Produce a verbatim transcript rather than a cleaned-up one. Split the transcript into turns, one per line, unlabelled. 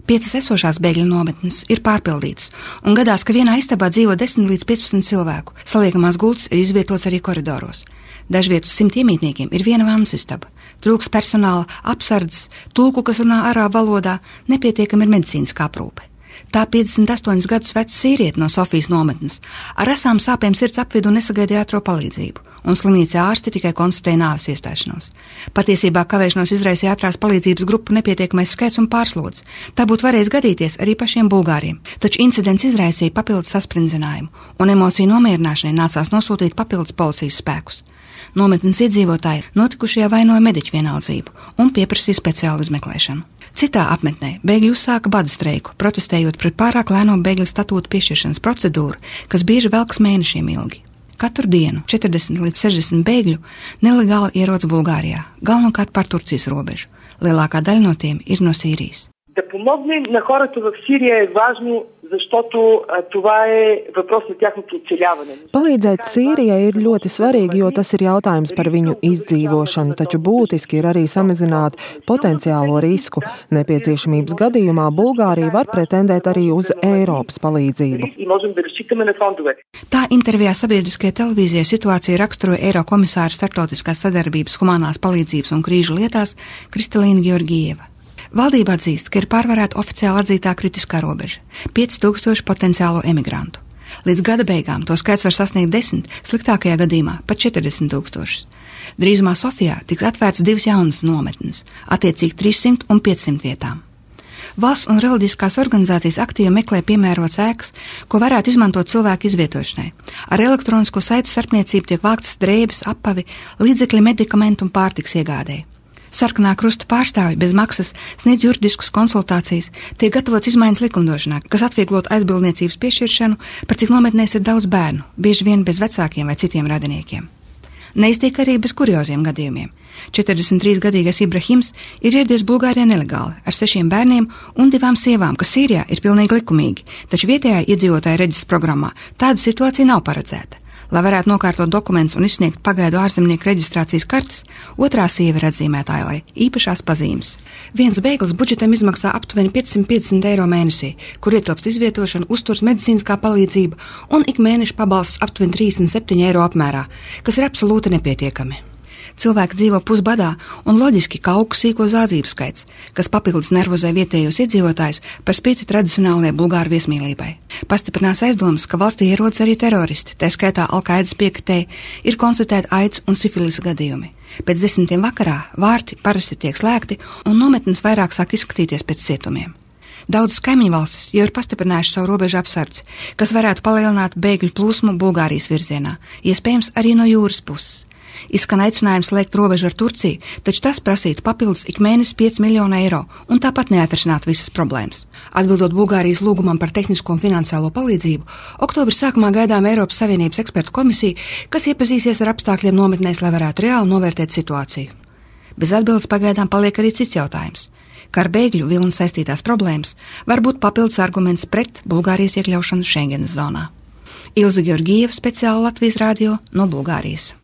Piecas esošās bēgļu nometnes ir pārpildītas, un gadās, ka vienā istabā dzīvo desmit līdz piecpadsmit cilvēku. Saliekamās gultas ir izvietotas arī koridoros. Dažviet uz simt iemītniekiem ir viena vannas istaba. Trūks personāla, apsardzes, tulku, kas runā arābu valodā, nepietiekami ir medicīniskā aprūpe. Tā piecdesmit astoņus gadus veca sīviete no Sofijas nometnes ar asām sāpēm sirds apvidu nesagaidīja ātro palīdzību, un slimnīcā ārsti tikai konstatēja nāves iestāšanos. Patiesībā kavēšanos izraisīja ātrās palīdzības grupu nepietiekamais skaits un pārslodze. Tā būtu varējis gadīties arī pašiem bulgāriem, taču incidents izraisīja papildus sasprindzinājumu, un emociju nomierināšanai nācās nosūtīt papildus policijas spēkus. Nometnes iedzīvotāji notikušajā vainoja mediķu vienaldzību un pieprasīja speciālu izmeklēšanu. Citā apmetnē bēgļi uzsāka bada streiku, protestējot pret pārāk lēno bēgļu statūtu piešķiršanas procedūru, kas bieži velkas mēnešiem ilgi. Katru dienu četrdesmit līdz sešdesmit bēgļu nelegāli ierodas Bulgārijā, galvenokārt pār Turcijas robežu. Lielākā daļa no tiem ir no Sīrijas.
Да помогнем на хората в Сирия е важно, защото това е въпрос на тяхното оцеляване.
Palīdzēt Sīrijai ir ļoti svarīgi, jo tas ir jautājums par viņu izdzīvošanu, taču būtiski ir arī samazināt potenciālo risku. Nepieciešamības gadījumā Bulgārija var pretendēt arī uz Eiropas palīdzību.
Tā intervijā sabiedriskajai televīzijai situāciju raksturoja Eirokomisāra starptautiskās sadarbības, humanās palīdzības un krīžu lietās Kristalīna Georgieva. Valdība atzīst, ka ir pārvarēta oficiāli atzītā kritiskā robeža – pieci tūkstoši potenciālo emigrantu. Līdz gada beigām to skaits var sasniegt desmit, sliktākajā gadījumā pat četrdesmit tūkstošus. Drīzumā Sofijā tiks atvērts divas jaunas nometnes, attiecīgi trīssimt un piecsimt vietām. Valsts un reliģiskās organizācijas aktīvi meklē piemērotas ēkas, ko varētu izmantot cilvēku izvietošanai. Ar elektronisko saitu starpniecību tiek vāktas drēbes, apavi, līdzekļi medikamentu un pārtiks iegādēji. Sarkanā krusta pārstāvji bez maksas sniedz juridiskas konsultācijas, tiek gatavots izmaiņas likumdošanā, kas atvieglot aizbildniecības piešķiršanu, par cik nometnēs ir daudz bērnu, bieži vien bez vecākiem vai citiem radiniekiem. Neiztiek arī bez kurioziem gadījumiem. četrdesmit trīs gadīgais Ibrahims ir ieradies Bulgārijā nelegāli ar sešiem bērniem un divām sievām, kas Sīrijā ir pilnīgi likumīgi, taču vietējā iedzīvotāja reģistra programmā tāda situācija nav paredzēta. Lai varētu nokārtot dokumentus un izsniegt pagaidu ārzemnieku reģistrācijas kartes, otrā sieva ir atzīmēta ailai īpašās pazīmes. Viens bēglis budžetam izmaksā aptuveni piecsimt piecdesmit eiro mēnesī, kur ietilpst izvietošana, uzturs medicīniskā palīdzība un ik mēneša pabalsts aptuveni trīsdesmit septiņi eiro apmērā, kas ir absolūti nepietiekami. Cilvēki dzīvo pusbadā un loģiski, ka aug sīko zādzību skaits, kas papildus nervozē vietējos iedzīvotājus par spīti tradicionālajai bulgāru viesmīlībai. Pastiprinās aizdomas, ka valstī ierodas arī teroristi, tā skaitā Al-Qaidas piekritēji, ir konstatēti aids un sifilisa gadījumi. Pēc desmitiem vakarā vārti parasti tiek slēgti un nometnes vairāk sāk izskatīties pēc cietumiem. Daudzas kaimiņu valstis jau ir pastiprinājuši savu robežu apsardzi, kas varētu palielināt bēgļu plūsmu Bulgārijas virzienā, iespējams arī no jūras puses. Izskan aicinājums slēgt robežu ar Turciju, taču tas prasītu papildus ik mēnesi pieci miljoni eiro un tāpat neatrisināt visas problēmas. Atbildot Bulgārijas lūgumam par tehnisko un finansiālo palīdzību, oktobra sākumā gaidām Eiropas Savienības ekspertu komisiju, kas iepazīsies ar apstākļiem nometnēs, lai varētu reāli novērtēt situāciju. Bez atbildes pagaidām paliek arī cits jautājums, ka ar bēgļu vilni saistītās problēmas var būt papildus arguments pret Bulgārijas iekļaušanu Schengenas zonā. Ilze Georgieva, speciāli Latvijas radio no Bulgārijas.